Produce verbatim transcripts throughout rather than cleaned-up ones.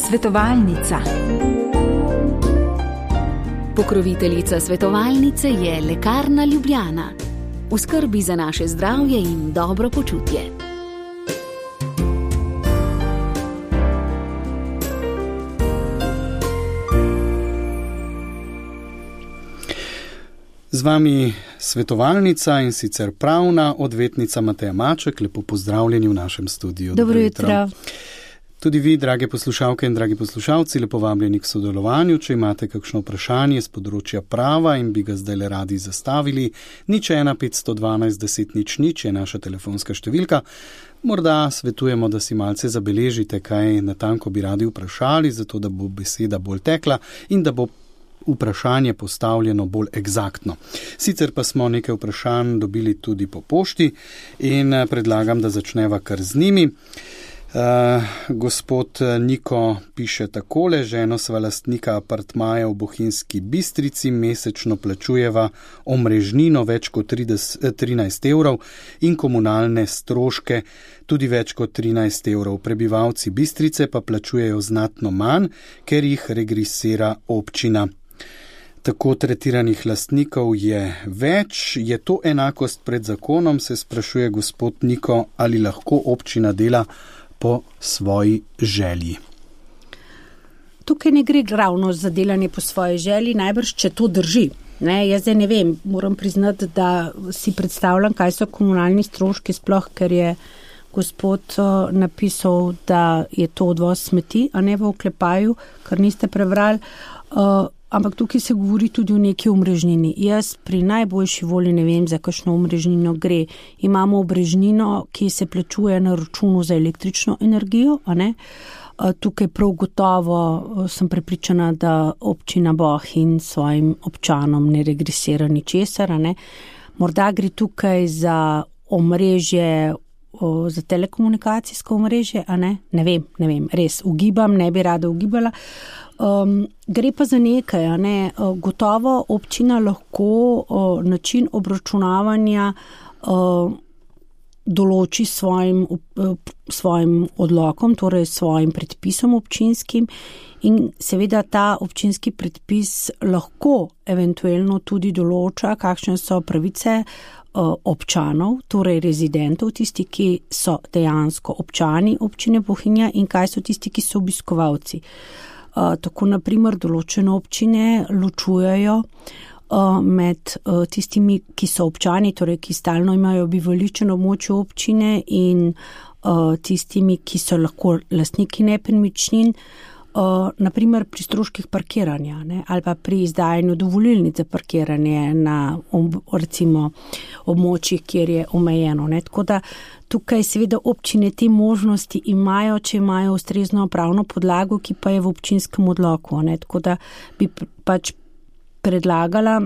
Svetovalnica. Pokroviteljica svetovalnice je Lekarna Ljubljana. V skrbi za naše zdravje in dobro počutje. Z vami svetovalnica in sicer pravna odvetnica Mateja Maček. Lepo pozdravljeni v našem studiu. Dobro jutro. Tudi vi, drage poslušalke in dragi poslušalci, lepo vabljeni k sodelovanju. Če imate kakšno vprašanje z področja prava in bi ga zdaj le radi zastavili, nič ena petsto dvanajst deset nič nič je naša telefonska številka. Morda svetujemo, da si malce zabeležite, kaj natanko bi radi vprašali, zato da bo beseda bolj tekla in da bo vprašanje postavljeno bolj egzaktno. Sicer pa smo nekaj vprašanj dobili tudi po pošti in predlagam, da začneva kar z njimi. Uh, gospod Niko piše takole: ženo sva lastnika apartmaja v Bohinjski Bistrici, mesečno plačujeva omrežnino več kot trinajst evrov in komunalne stroške tudi več kot trinajst evrov. Prebivalci Bistrice pa plačujejo znatno manj, ker jih regresira občina. Tako tretiranih lastnikov je več. Je to enakost pred zakonom, se sprašuje gospod Niko, ali lahko občina dela po svoji želji? Tukaj ne gre ravno za delanje po svoji želji, najbrž, če to drži. Ne, jaz zdaj ne vem, moram priznati, da si predstavljam, kaj so komunalni stroški, sploh, ker je gospod uh, napisal, da je to odvoz smeti, a ne v oklepaju, kar niste prebrali. Uh, Ampak tukaj se govori tudi o neki omrežnini. Jaz pri najboljši volji ne vem, za kakšno omrežnino gre. Imamo omrežnino, ki se plačuje na računu za električno energijo, a ne? Tukaj prav gotovo sem prepričana, da občina Bohinj svojim občanom ne regresira ničesar, a ne? Morda gre tukaj za omrežje, za telekomunikacijsko omrežje, a ne? Ne vem, ne vem, res ugibam, ne bi rada ugibala. Um, gre pa za nekaj, a ne, gotovo občina lahko uh, način obračunavanja uh, določi svojim, uh, svojim odlokom, torej svojim predpisom občinskim, in seveda ta občinski predpis lahko eventualno tudi določa, kakšne so pravice uh, občanov, torej rezidentov, tisti, ki so dejansko občani občine Bohinja, in kaj so tisti, ki so obiskovalci. Uh, tako naprimer določene občine ločujejo uh, med uh, tistimi, ki so občani, torej ki stalno imajo bivališče na območju občine, in uh, tistimi, ki so lahko lastniki nepremičnin, uh, naprimer pri stroških parkiranja, ne, ali pa pri izdajanju dovolilnic za parkiranje na ob, recimo območjih, kjer je omejeno. Ne. Tako da tukaj seveda občine te možnosti imajo, če imajo ustrezno pravno podlago, ki pa je v občinskem odloku. Ne. Tako da bi pač predlagala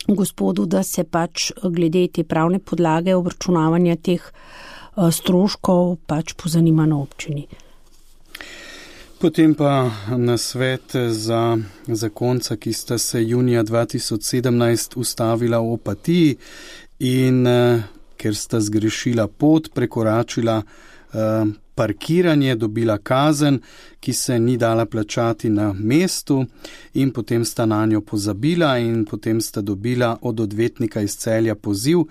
gospodu, da se pač glede te pravne podlage obračunavanja teh stroškov pač pozanima na občini. Potem pa nasvet za zakonca, ki sta se junija dva tisoč sedemnajst ustavila v Opatiji in ker sta zgrešila pot, prekoračila uh, parkiranje, dobila kazen, ki se ni dala plačati na mestu, in potem sta na njo pozabila in potem sta dobila od odvetnika iz Celja poziv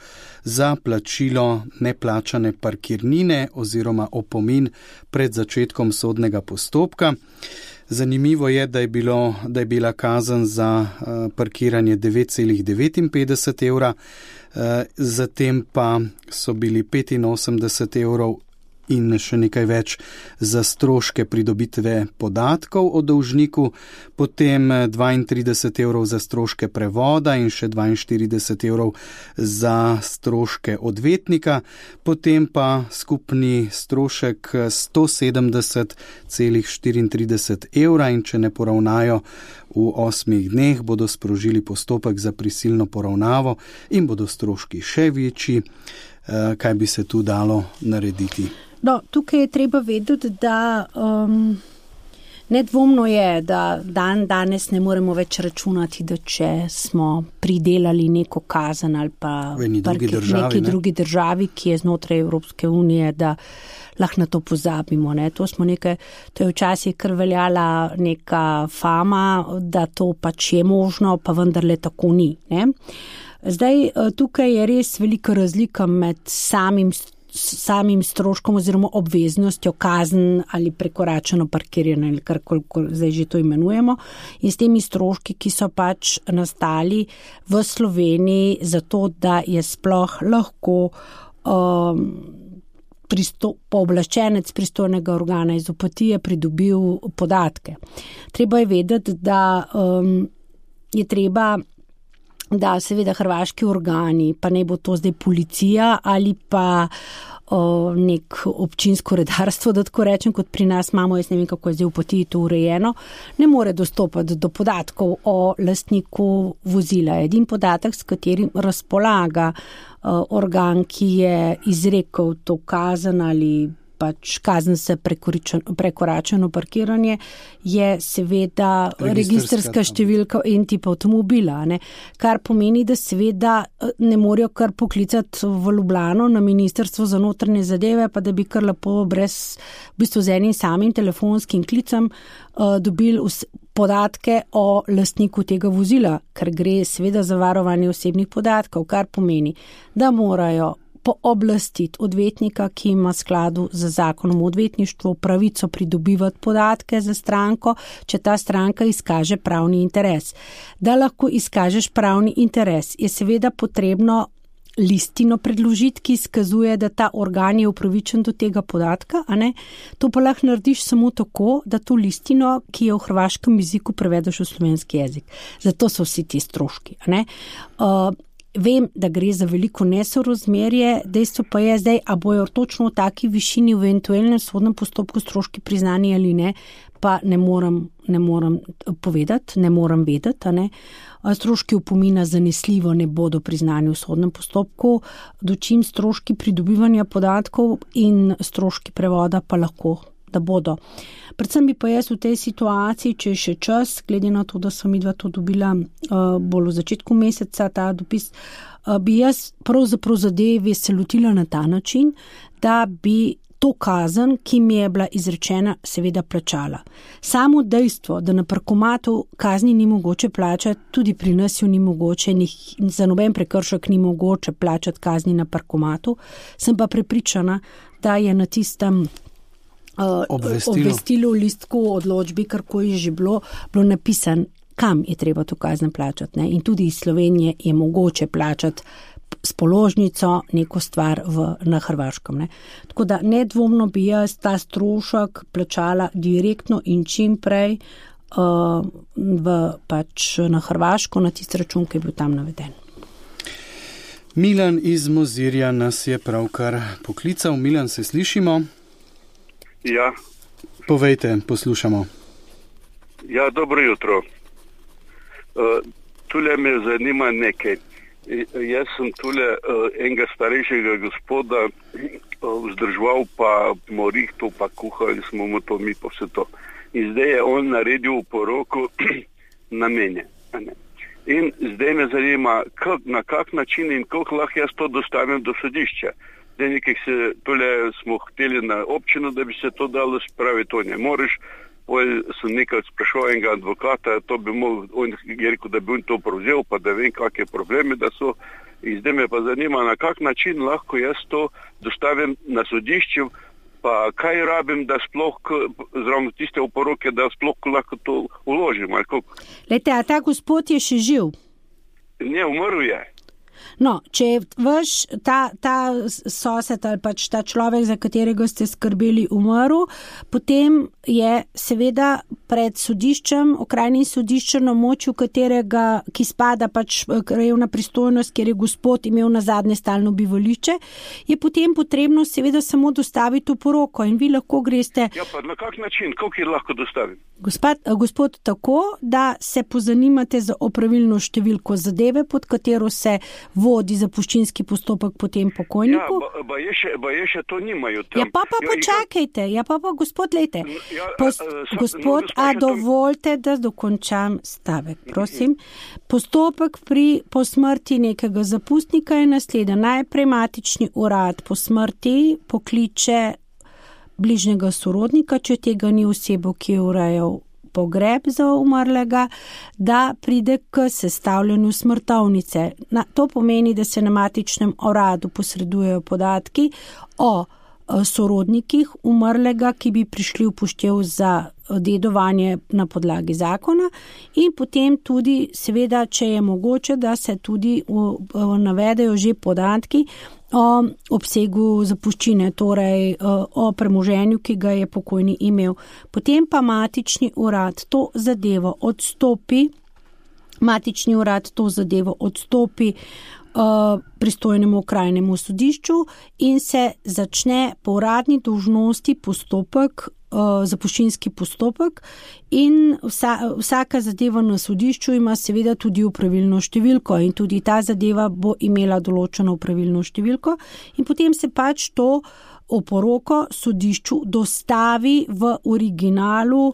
za plačilo neplačane parkirnine oziroma opomin pred začetkom sodnega postopka. Zanimivo je, da je, bilo, da je bila kazen za uh, parkiranje devet celih devetinpetdeset evra, uh, zatem pa so bili petinosemdeset evrov in še nekaj več za stroške pridobitve podatkov o dolžniku, potem dvaintrideset evrov za stroške prevoda in še dvainštirideset evrov za stroške odvetnika, potem pa skupni strošek sto sedemdeset celih štiriintrideset evra, in če ne poravnajo v osmih dneh, bodo sprožili postopek za prisilno poravnavo in bodo stroški še večji. Kaj bi se tu dalo narediti? No, tukaj je treba vedeti, da um, Nedvomno je, da dan danes ne moremo več računati, da če smo pridelali neko kazen ali pa v neki drugi državi, neki drugi državi, ki je znotraj Evropske unije, da lahko na to pozabimo. Ne. To smo nekaj, to je včasih kar veljala neka fama, da to pač je možno, pa vendarle tako ni. Ne. Zdaj, tukaj je res velika razlika med samim samim stroškom oziroma obveznostjo kazen ali prekoračeno parkiranje ali karkoli zdaj že to imenujemo in s temi stroški, ki so pač nastali v Sloveniji zato, da je sploh lahko um, pristo, pooblaščenec pristojnega organa iz Opatije pridobil podatke. Treba je vedeti, da um, je treba da seveda hrvaški organi, pa ne bo to zdaj policija ali pa o, nek občinsko redarstvo, da tako rečem, kot pri nas imamo, jaz ne vem, kako je zdaj v Opatiji to urejeno, ne more dostopati do podatkov o lastniku vozila. Edin podatek, s katerim razpolaga o, organ, ki je izrekel to kazen ali pač kazen se prekoračeno parkiranje, je seveda registrska številka in tip avtomobila, ne? Kar pomeni, da seveda ne morajo kar poklicati v Ljubljano na Ministrstvo za notranje zadeve, pa da bi kar lepo brez, v bistvu z enim samim telefonskim klicem uh, dobili podatke o lastniku tega vozila, ker gre seveda za varovanje osebnih podatkov, kar pomeni, da morajo pooblastiti odvetnika, ki ima skladu z zakonom o odvetništvu pravico pridobivati podatke za stranko, če ta stranka izkaže pravni interes. Da lahko izkažeš pravni interes, je seveda potrebno listino predložiti, ki izkazuje, da ta organ je upravičen do tega podatka, a ne? To pa lahko narediš samo tako, da to listino, ki je v hrvaškem jeziku, prevedeš v slovenski jezik. Zato so vsi ti stroški, a ne? Uh, Vem, da gre za veliko nesorazmerje, dejstvo pa je zdaj, a bojo točno v taki višini v eventualnem sodnem postopku stroški priznani ali ne, pa ne moram, ne moram povedati, ne moram vedeti. Ne. Stroški opomina zanesljivo ne bodo priznani v sodnem postopku, dočim stroški pridobivanja podatkov in stroški prevoda pa lahko, da bodo. Predvsem bi pa jaz v tej situaciji, če je še čas, glede na to, da sem midva to dobila uh, bolj v začetku meseca, ta dopis, uh, bi jaz pravzaprav zadevi se lotila na ta način, da bi to kazen, ki mi je bila izrečena, seveda plačala. Samo dejstvo, da na parkomatu kazni ni mogoče plačati, tudi pri nas jo ni mogoče, ni, za noben prekršek ni mogoče plačati kazni na parkomatu, sem pa prepričana, da je na tistem Uh, obvestilo. obvestilo, listku, odločbi, karko je že bilo, bilo napisan, kam je treba to kazen plačati. Ne? In tudi iz Slovenije je mogoče plačati s položnico neko stvar v, na Hrvaškem. Ne? Tako da nedvomno bi jaz ta strošek plačala direktno in čim prej uh, v, pač na Hrvaško, na tisti račun, ki je bil tam naveden. Milan iz Mozirja nas je pravkar poklical. Milan, se slišimo? Ja. Povejte, poslušamo. Ja, dobro jutro. Uh, tule me zanima nekaj. Jaz sem tule uh, enega starejšega gospoda uh, vzdrževal, pa morihto, pa kuhali smo mu to, mi pa vse to. In zdaj je on naredil poroko na mene. In zdaj me zanima, kak, na kak način in koliko lahko jaz to dostavim do sodišča. Nekaj se, tole smo hteli na občino, da bi se to dalo spraviti, to ne moreš. Poj sem nekaj sprašal enega advokata, to bi mogel, on je rekel, da bi on to prevzel, pa da vem, kakve probleme da so. In zdaj me pa zanima, na kak način lahko jaz to dostavim na sodišče, pa kaj rabim, da sploh, zravno tiste oporoke, da sploh lahko to uložim. Lejte, a ta gospod je še živ? Ne, umrl je. No, če je vaš ta, ta sosed ali pač ta človek, za katerega ste skrbeli, umrl, potem je seveda pred sodiščem, okrajnim sodiščem na močju katerega, ki spada pač krajevna pristojnost, kjer je gospod imel na zadnje stalno bivališče, je potem potrebno seveda samo dostaviti oporoko in vi lahko greste. Ja, pa na kak način, koliko je lahko dostavim? Gospod, gospod tako, da se pozanimate za opravilno številko zadeve, pod katero se vodi zapuščinski postopek po tem pokojniku. Ja, ba je še, ba je še to nimajo tam. Ja, pa pa ja, počakajte, ja, pa pa gospod, lejte. Ja, Pos, a, a, gospod, no, a dovolite, da dokončam stavek, prosim. Postopek pri po smrti nekega zapustnika je naslednji. Najprej matični urad po smrti pokliče bližnjega sorodnika, če tega ni osebo, ki je urejal pogreb za umrlega, da pride k sestavljanju smrtovnice. Na, to pomeni, da se na matičnem uradu posredujejo podatki o sorodnikih umrlega, ki bi prišli v poštev za dedovanje na podlagi zakona in potem tudi, seveda, če je mogoče, da se tudi v, v, navedejo že podatki o obsegu zapuščine, torej o premoženju, ki ga je pokojni imel. Potem pa matični urad to zadevo odstopi, matični urad to zadevo odstopi pristojnemu okrajnemu sodišču in se začne po uradni dolžnosti postopek, zapuščinski postopek in vsa, vsaka zadeva na sodišču ima seveda tudi opravilno številko in tudi ta zadeva bo imela določeno opravilno številko in potem se pač to oporoko sodišču dostavi v originalu,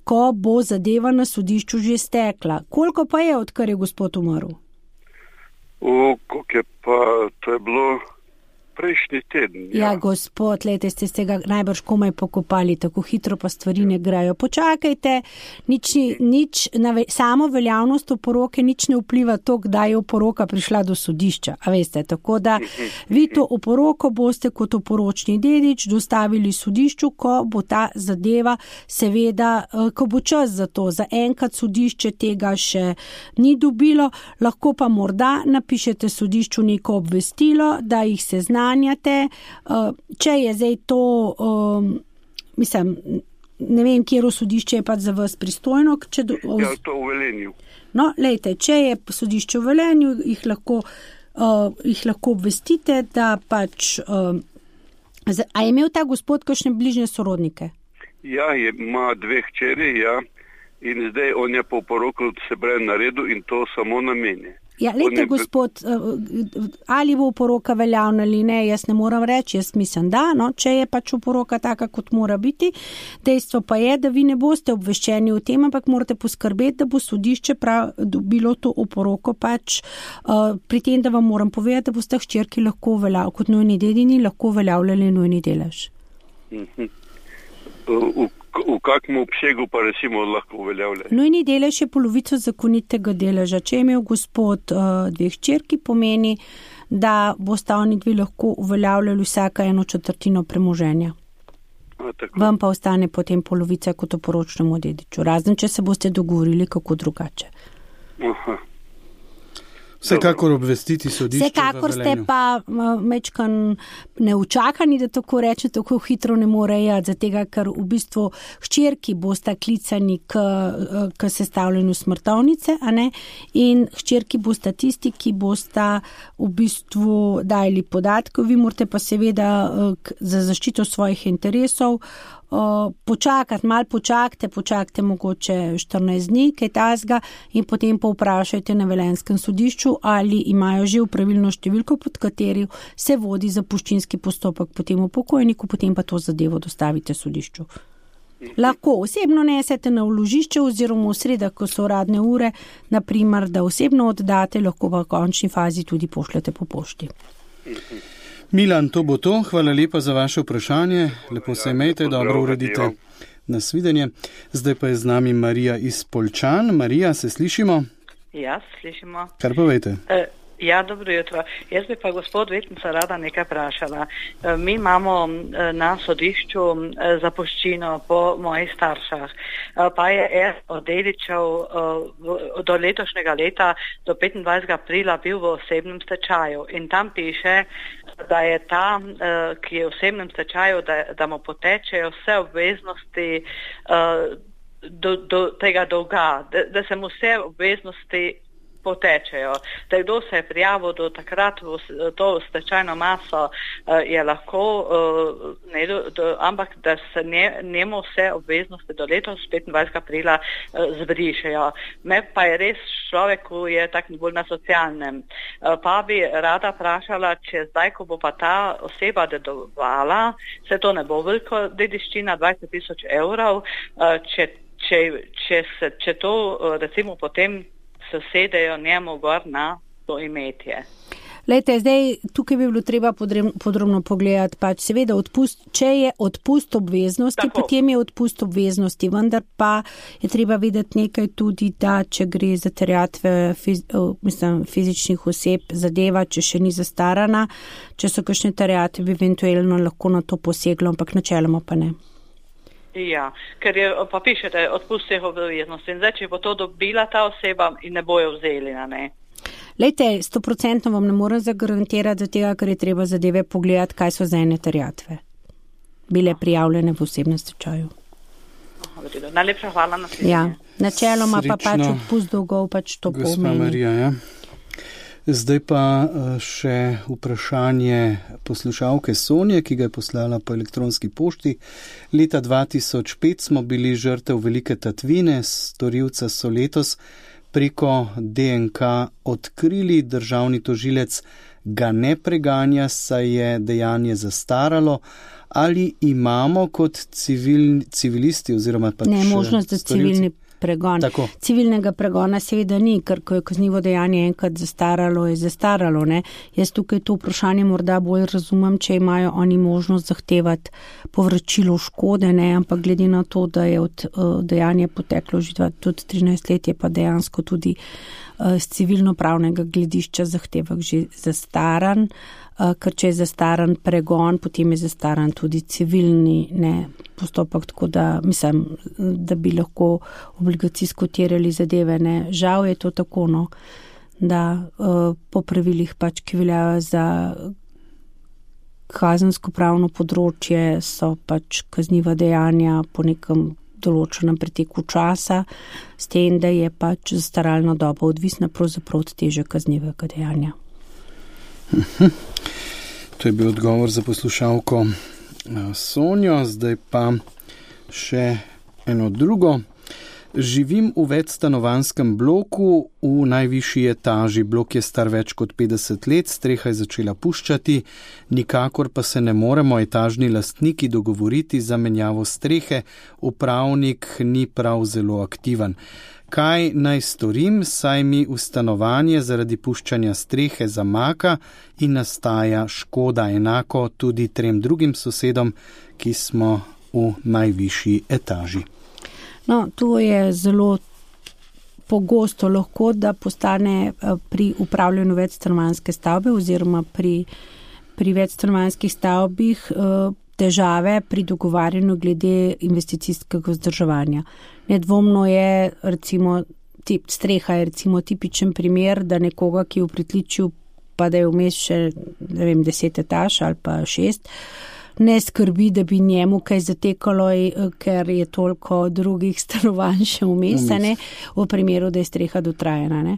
ko bo zadeva na sodišču že stekla. Koliko pa je, odkar je gospod umrl? O, koliko je pa, to je bilo prejšnji teden. Ja, ja gospod, lejte, ste se ga najbrž komaj pokopali, tako hitro pa stvari ne grejo. Počakajte, nič, nič, nave, samo veljavnost oporoke nič ne vpliva to, kdaj je oporoka prišla do sodišča, a veste, tako da vi to oporoko boste kot oporočni dedič dostavili sodišču, ko bo ta zadeva, seveda, ko bo čas za to. Za enkrat sodišče tega še ni dobilo, lahko pa morda napišete sodišču neko obvestilo, da jih se zna. Če je zdaj to, um, mislim, ne vem, kjero sodišče je pač za vas pristojno. Če do, ja, to v Velenju. No, lejte, če je sodišče v Velenju, jih lahko, uh, jih lahko obvestite, da pač, uh, a je imel ta gospod kakšne bližnje sorodnike? Ja, je, ima dve hčeri, ja, in zdaj on je po poroku se pravi naredil in to samo na meni. Ja, lejte, gospod, ali bo oporoka veljavna ali ne, jaz ne moram reči, jaz mislim, da, no, če je pač oporoka taka, kot mora biti. Dejstvo pa je, da vi ne boste obveščeni o tem, ampak morate poskrbeti, da bo sodišče prav dobilo to oporoko pač uh, pri tem, da vam moram povedati, da boste hčerki lahko uveljavljali, kot nujni dedini, lahko uveljavljali nujni delež. Mhm. V, v kakšnem obsegu pa recimo lahko uveljavlja? Nujni delež je polovico zakonitega deleža. Če je imel gospod uh, dve hčerki, pomeni, da boste oni dve lahko uveljavljali vsaka eno četrtino premoženja. A, Vam pa ostane potem polovica kot oporočnemu dediču. Razen, če se boste dogovorili kako drugače. Aha. Vsekakor obvestiti sodišče. Vsekakor ste pa mečkan neučakani, da tako reče, tako hitro ne more jati, zatega, ker v bistvu hčerki bosta klicani k, k sestavljanju smrtovnice, a ne? In hčerki bosta tisti, ki bosta v bistvu dajali podatke, vi morate pa seveda za zaščito svojih interesov počakati, malo počakajte, počakajte mogoče štirinajst dni, kaj tazga in potem pa vprašajte na Velenjskem sodišču, ali imajo že pravilno številko, pod kateri se vodi zapuščinski postopek potem v pokojniku, potem pa to zadevo dostavite sodišču. Lahko osebno nesete na vložišče oziroma v sredah, ko so uradne ure, naprimer, da osebno oddate, lahko v končni fazi tudi pošljete po pošti. Milan, to bo to. Hvala lepa za vaše vprašanje. Lepo se imejte, dobro uredite. Nasvidenje. Zdaj pa je z nami Marija iz Poljčan. Marija, se slišimo? Ja, slišimo. Kar povejte? E, ja, dobro jutro. Jaz bi pa gospod Vetnica rada nekaj vprašala. E, mi imamo e, na sodišču e, zapuščino po mojih staršah. E, pa je en od dedičev e, do letošnjega leta, do petindvajsetega aprila bil v osebnem stečaju. In tam piše, da je ta, ki je v osebnem stečaju, da, da mu potečejo vse obveznosti do, do tega dolga, da, da se mu vse obveznosti potečejo. Da kdo se je prijavil do takrat v to stečajno maso, je lahko, ne, do, ampak da se ne, njemu vse obveznosti do letos petindvajsetega aprila zbrišejo. Me pa je res človek, ki je tak bolj na socialnem. Pa bi rada vprašala, če zdaj, ko bo pa ta oseba dedovala, se to ne bo veliko dediščina, dvajset tisoč evrov, če Če, če, se, če to recimo potem sosedejo njemu gor na to imetje. Lejte, zdaj tukaj bi bilo treba podrobno pogledati, pač seveda odpust, če je odpust obveznosti, tako. Potem je odpust obveznosti, vendar pa je treba videti nekaj tudi, da če gre za terjatve fiz, mislim, fizičnih oseb, zadeva, če še ni zastarana, če so kakšne terjatve, bi eventualno lahko na to poseglo, ampak načeloma pa ne. Ja, ker je, pa pišete, odpust vseh obveznosti. In zdaj, če bo to dobila ta oseba in ne bojo vzeli, na ne? Lejte, sto procentno vam ne morem zagarantirati za tega, ker je treba zadeve pogledati, kaj so za ene terjatve. Bile prijavljene v osebnem stečaju. Najlepša hvala na slišanje. Ja, načeloma pa pač odpust dolgov pač to pomeni. Gospa Marija, ja. Zdaj pa še vprašanje poslušalke Sonje, ki ga je poslala po elektronski pošti. Leta dva tisoč pet smo bili žrtev velike tatvine, storilca so letos preko D N K odkrili, državni tožilec ga ne preganja, saj je dejanje zastaralo. Ali imamo kot civil, civilisti oziroma pač ne možnost za civilni pregon. Tako. Civilnega pregona seveda ni, ker ko je kaznivo dejanje enkrat zastaralo, je zastaralo. Ne? Jaz tukaj to vprašanje morda bolj razumem, če imajo oni možnost zahtevati povračilo škode, ne? Ampak glede na to, da je od uh, dejanja poteklo že tudi trinajst let, je pa dejansko tudi uh, z civilno-pravnega gledišča zahtevek že zastaran, uh, ker če je zastaran pregon, potem je zastaran tudi civilni ne, postopek, tako da mislim, da bi lahko obligacijsko terjali zadeve. Ne. Žal je to tako, no, da uh, po pravilih pač, ki veljajo za kazensko pravno področje, so pač kazniva dejanja po nekem določenem preteku časa, s tem, da je pač zastaralna doba odvisna pravzaprav od teže kaznivega dejanja. To je bil odgovor za poslušalko Sonjo, zdaj pa še eno drugo. Živim v večstanovanjskem bloku v najvišji etaži. Blok je star več kot petdeset let, streha je začela puščati, nikakor pa se ne moremo etažni lastniki dogovoriti za menjavo strehe, upravnik ni prav zelo aktiven. Kaj naj storim, saj mi v stanovanje zaradi puščanja strehe zamaka in nastaja škoda, enako tudi trem drugim sosedom, ki smo v najvišji etaži. No, to je zelo pogosto lahko, da postane pri upravljanju večstanovanjske stavbe oziroma pri, pri večstanovanjskih stavbih težave pri dogovarjanju glede investicijskega vzdrževanja. Nedvomno je, recimo, tip, streha je recimo tipičen primer, da nekoga, ki je v pritličju, pa da je vmes še, ne vem, deset etaž ali pa šest, ne skrbi, da bi njemu kaj zatekalo, ker je toliko drugih stanovanj še vmes, ne, v primeru, da je streha dotrajena. Ne.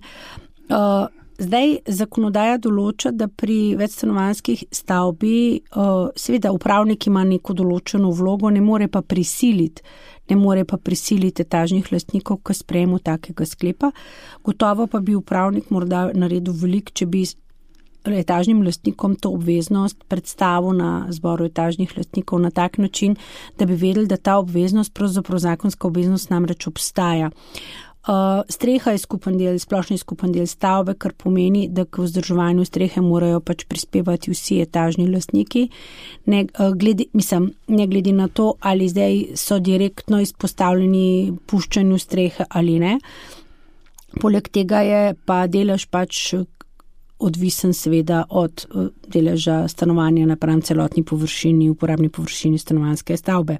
Uh, zdaj, zakonodaja določa, da pri večstanovanjskih stavbi uh, seveda upravnik ima neko določeno vlogo, ne more pa prisiliti, ne more pa prisiliti etažnih lastnikov k sprejemu takega sklepa. Gotovo pa bi upravnik morda naredil veliko, če bi etažnim lastnikom to obveznost predstavil na zboru etažnih lastnikov na tak način, da bi vedeli, da ta obveznost, pravzaprav zakonska obveznost namreč obstaja. Uh, streha je skupen del, splošni skupen del stavbe, kar pomeni, da k vzdrževanju strehe morajo pač prispevati vsi etažni lastniki, ne, uh, glede, mislim, ne glede na to, ali zdaj so direktno izpostavljeni puščanju strehe ali ne. Poleg tega je pa delež pač odvisen seveda od deleža stanovanja napram celotni površini, uporabni površini stanovanjske stavbe,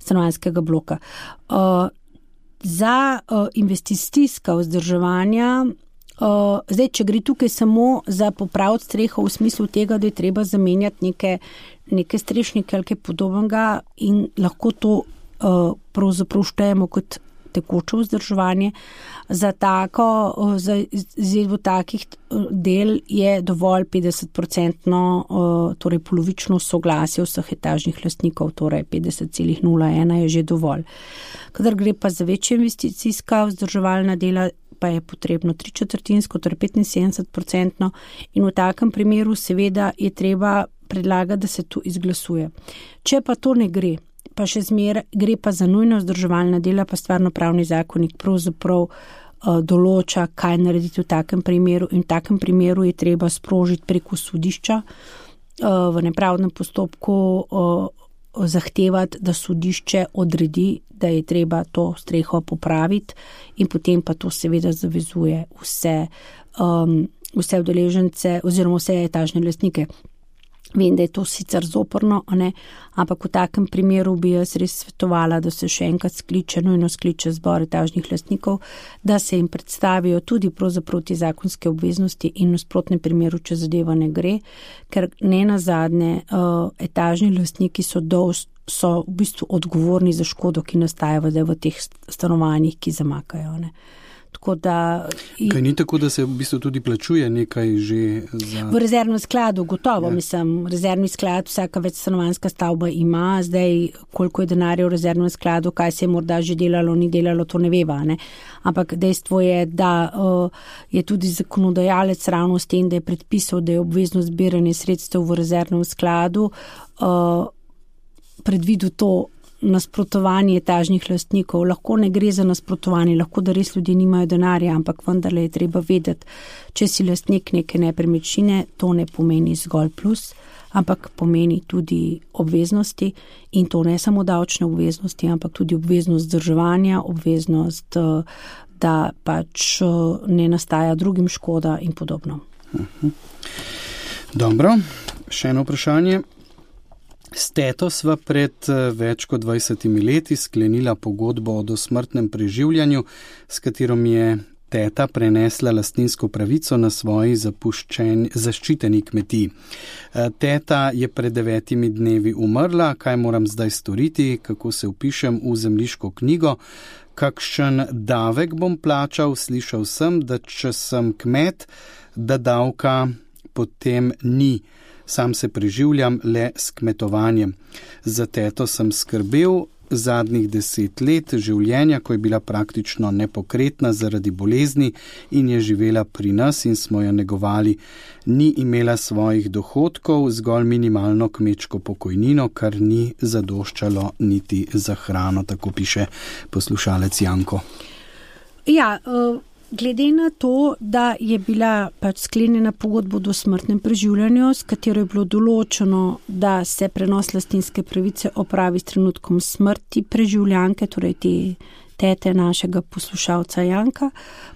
stanovanjskega bloka. Uh, za uh, investicijska vzdrževanja, uh, zdaj, če gre tukaj samo za popraviti streho v smislu tega, da je treba zamenjati neke, neke strešnike ali kaj podobnega in lahko to uh, pravzaprav štejemo kot tekoče vzdrževanje. Za tako, za izvedbo takih del je dovolj petdeset odstotno, torej polovično soglasje vseh etažnih lastnikov, torej petdeset celih nula ena je že dovolj. Kadar gre pa za večje investicijska vzdrževalna dela, pa je potrebno tri četrtinsko, torej petinsedemdeset odstotno in v takem primeru seveda je treba predlagati, da se to izglasuje. Če pa to ne gre, pa še zmer gre pa za nujno vzdrževalna dela, pa stvarnopravni zakonik pravzaprav uh, določa, kaj narediti v takem primeru in v takem primeru je treba sprožiti preko sodišča uh, v nepravdnem postopku uh, zahtevati, da sodišče odredi, da je treba to streho popraviti in potem pa to seveda zavezuje vse, um, vse udeležence oziroma vse etažne lastnike. Vem, da je to sicer zoporno, ne? Ampak v takem primeru bi jaz res svetovala, da se še enkrat skliče, nujno skliče zbor etažnih lastnikov, da se jim predstavijo tudi pravzaprav te zakonske obveznosti in v nasprotnem primeru, če zadeva ne gre, ker ne nazadnje uh, etažni lastniki so, dol, so v bistvu odgovorni za škodo, ki nastaja v teh stanovanjih, ki zamakajo. Ne? Tako da... Kaj ni tako, da se v bistvu tudi plačuje nekaj že za... V rezervnem skladu, gotovo, ja. Mislim, rezervni sklad, vsaka večstanovanjska stavba ima, zdaj koliko je denarja v rezervnem skladu, kaj se je morda že delalo, ni delalo, to ne veva, ne. Ampak dejstvo je, da uh, je tudi zakonodajalec ravno s tem, da je predpisal, da je obvezno zbiranje sredstev v rezervnem skladu, uh, predvidel to nasprotovanje etažnih lastnikov. Lahko ne gre za nasprotovanje, lahko da res ljudje nimajo denarja, ampak vendarle je treba vedeti, če si lastnik neke nepremičnine, to ne pomeni zgolj plus, ampak pomeni tudi obveznosti in to ne samo davčne obveznosti, ampak tudi obveznost vzdrževanja, obveznost, da pač ne nastaja drugim škoda in podobno. Uh-huh. Dobro, še eno vprašanje. S teto sva pred več kot dvajsetimi leti sklenila pogodbo o dosmrtnem preživljanju, s katero mi je teta prenesla lastninsko pravico na svoji zaščiteni kmetiji. Teta je pred devetimi dnevi umrla, kaj moram zdaj storiti, kako se vpišem v zemljiško knjigo, kakšen davek bom plačal, slišal sem, da če sem kmet, da davka potem ni. Sam se preživljam le s kmetovanjem. Za teto sem skrbel zadnjih deset let življenja, ko je bila praktično nepokretna zaradi bolezni in je živela pri nas in smo jo negovali. Ni imela svojih dohodkov, zgolj minimalno kmečko pokojnino, kar ni zadoščalo niti za hrano, tako piše poslušalec Janko. Ja, uh... Glede na to, da je bila pač sklenjena pogodba o dosmrtnem preživljanju, s katero je bilo določeno, da se prenos lastninske pravice opravi s trenutkom smrti preživljanke, torej te tete našega poslušalca Janka,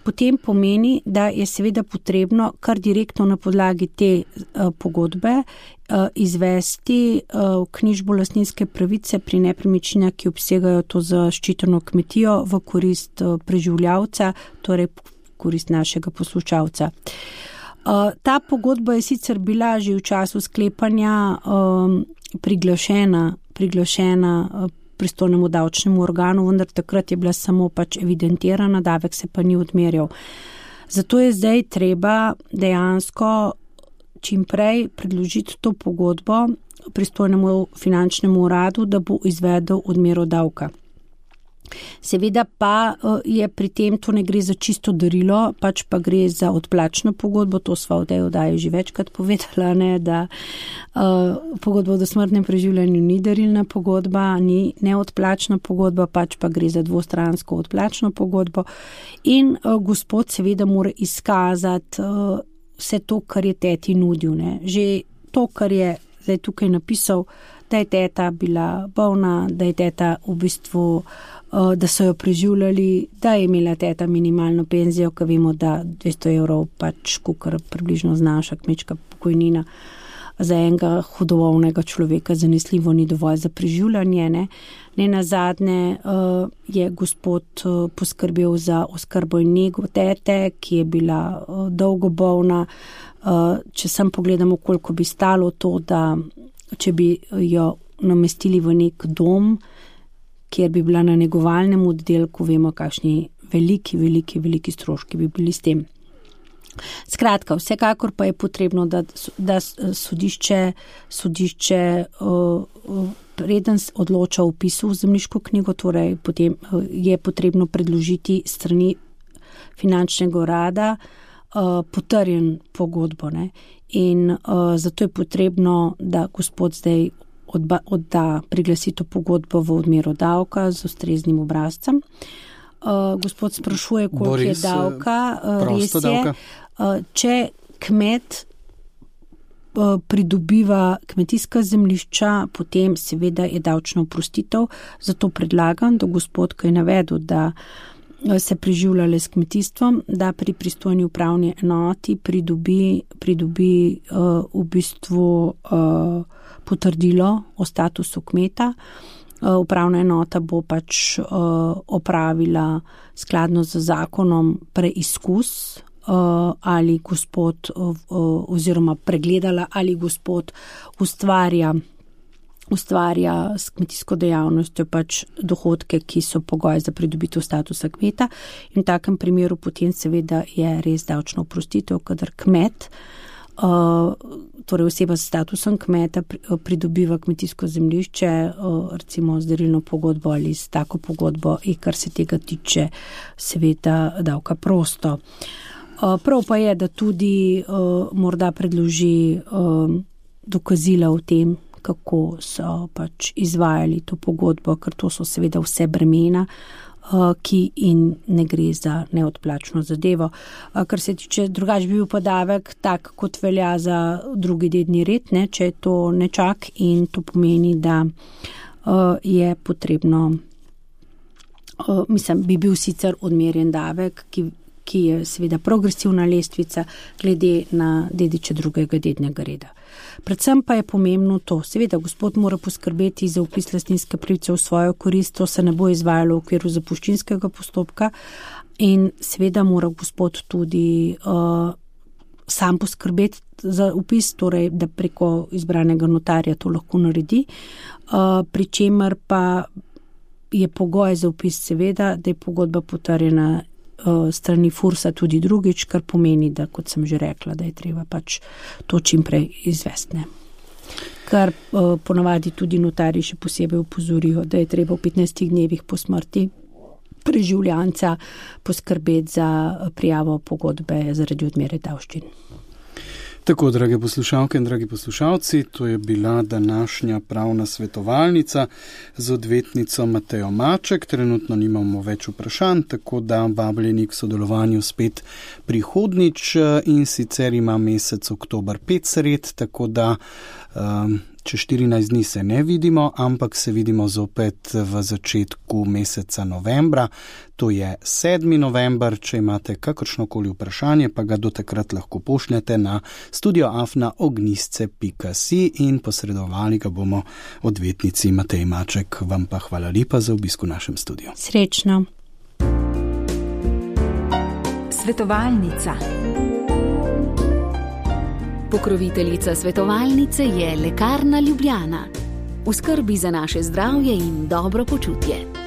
potem pomeni, da je seveda potrebno kar direktno na podlagi te uh, pogodbe uh, izvesti uh, knjižbo lastninske pravice pri nepremičninah, ki obsegajo to zaščiteno kmetijo v korist uh, preživljavca, torej korist našega poslušalca. Uh, ta pogodba je sicer bila že v času sklepanja um, priglašena, priglašena uh, pristojnemu davčnemu organu, vendar takrat je bila samo pač evidentirana, davek se pa ni odmerjal. Zato je zdaj treba dejansko čim prej predložiti to pogodbo pristojnemu finančnemu uradu, da bo izvedel odmero davka. Seveda pa je pri tem, to ne gre za čisto darilo, pač pa gre za odplačno pogodbo, to sva v tej oddaji že večkrat povedala, ne, da uh, pogodba o dosmrtnem preživljanju ni darilna pogodba, ni neodplačna pogodba, pač pa gre za dvostransko odplačno pogodbo in uh, gospod seveda mora izkazati uh, vse to, kar je teti nudil. Ne. Že to, kar je zdaj tukaj napisal, da je teta bila bolna, da je teta v bistvu da so jo preživljali, da je imela teta minimalno penzijo, ko vemo, da dvesto evrov pač kukar približno znaša kmečka pokojnina za enega hudovolnega človeka zanesljivo ni dovolj za preživljanje. Ne, ne nazadnje uh, je gospod uh, poskrbel za oskrbo in nego tete, ki je bila uh, dolgo bolna. Uh, če sem pogledamo, koliko bi stalo to, da če bi jo namestili v nek dom, kjer bi bila na negovalnem oddelku, vemo, kakšni veliki, veliki, veliki stroški bi bili s tem. Skratka, vsekakor pa je potrebno, da, da sodišče, sodišče preden odloča o vpisu v zemljiško knjigo, torej potem je potrebno predložiti strani finančnega urada potrjen pogodbo. Ne? In zato je potrebno, da gospod zdaj odba, odda priglasito pogodbo v odmero davka z ustreznim obrazcem. Gospod sprašuje, koliko Boris, je davka. Res je, davka. Če kmet pridobiva kmetijska zemljišča, potem seveda je davčna oprostitev. Zato predlagam, da gospod, ko je navedel, da se preživljale s kmetijstvom, da pri pristojni upravni enoti pridobi, pridobi uh, v bistvu uh, potrdilo o statusu kmeta. Uh, upravna enota bo pač uh, opravila skladno z zakonom preizkus, uh, ali gospod uh, uh, oziroma pregledala, ali gospod ustvarja ustvarja s kmetijsko dejavnostjo pač dohodke, ki so pogoj za pridobitev statusa kmeta. In v takem primeru potem seveda je res davčna oprostitev, kadar kmet, torej oseba s statusom kmeta pridobiva kmetijsko zemljišče, recimo z darilno pogodbo ali s tako pogodbo, in kar se tega tiče, seveda davka prosto. Prav pa je, da tudi morda predloži dokazila o tem, kako so pač izvajali to pogodbo, ker to so seveda vse bremena, ki in ne gre za neodplačno zadevo. Kar se tiče, drugač bi bil pa davek tak, kot velja za drugi dedni red, ne, če je to nečak, in to pomeni, da je potrebno, mislim, bi bil sicer odmerjen davek, ki, ki je seveda progresivna lestvica glede na dediče drugega dednega reda. Predvsem pa je pomembno to, seveda gospod mora poskrbeti za vpis lastninske pravice v svojo korist, to se ne bo izvajalo v okviru zapuščinskega postopka, in seveda mora gospod tudi uh, sam poskrbeti za vpis, torej da preko izbranega notarja to lahko naredi, uh, pri čemer pa je pogoj za vpis seveda, da je pogodba potrjena strani Fursa tudi drugič, kar pomeni, da, kot sem že rekla, da je treba pač to čim prej izvesti. Kar uh, ponavadi tudi notarji še posebej upozorijo, da je treba v petnajstih dnevih po smrti preživljanca poskrbeti za prijavo pogodbe zaradi odmere davščin. Tako, drage poslušalke in dragi poslušalci, to je bila današnja pravna svetovalnica z odvetnico Matejo Maček. Trenutno nimamo več vprašanj, tako da vabljeni k sodelovanju spet prihodnič, in sicer ima mesec oktober pet sred, tako da um, čez štirinajst dni se ne vidimo, ampak se vidimo zopet v začetku meseca novembra, to je sedmi november. Če imate kakršnokoli vprašanje, pa ga do takrat lahko pošljete na studio afna ognjisce pika si in posredovali ga bomo odvetnici Mateji Maček. Vam pa hvala lepa za obisk v našem studiu. Srečno. Svetovalnica. Pokroviteljica svetovalnice je Lekarna Ljubljana. V skrbi za naše zdravje in dobro počutje.